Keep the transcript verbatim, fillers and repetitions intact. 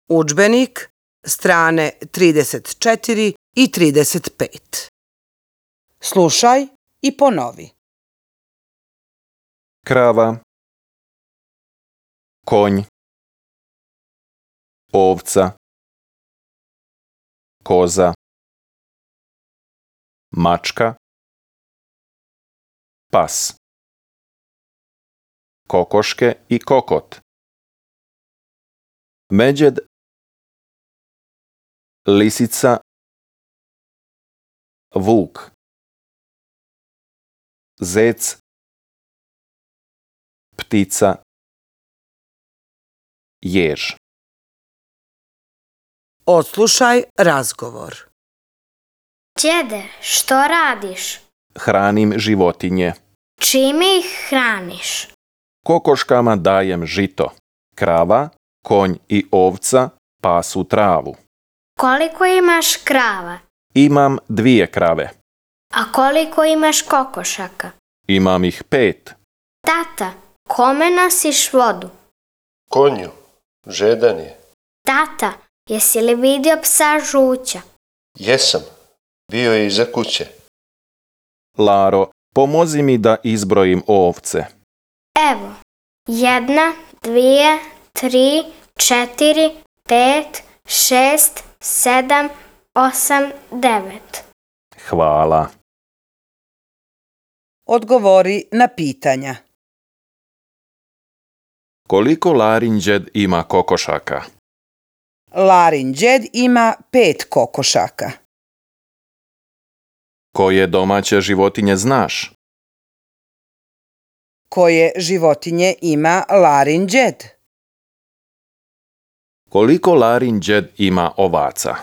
Udžbenik, strane trideset četiri i trideset pet. Slušaj i ponovi. Krava, konj, ovca, koza, mačka, pas, kokoške i kokot, međed, lisica, vuk, zec, ptica, jež. Odslušaj razgovor. Đede, što radiš? Hranim životinje. Čime ih hraniš? Kokoškama dajem žito. Krava, konj i ovca pasu travu. Koliko imaš krava? Imam dvije krave. A koliko imaš kokošaka? Imam ih pet. Tata, kome nosiš vodu? Konju, žedan je. Tata, jesi li vidio psa Žuća? Jesam, bio je iza kuće. Laro, pomozi mi da izbrojim ovce. Evo, jedna, dvije, tri, četiri, pet, šest, sedam, osam, devet. Hvala. Odgovori na pitanja. Koliko Larin đed ima kokošaka? Larin đed ima pet kokošaka. Koje domaće životinje znaš? Koje životinje ima Larin đed? Koliko Larin đed ima ovaca?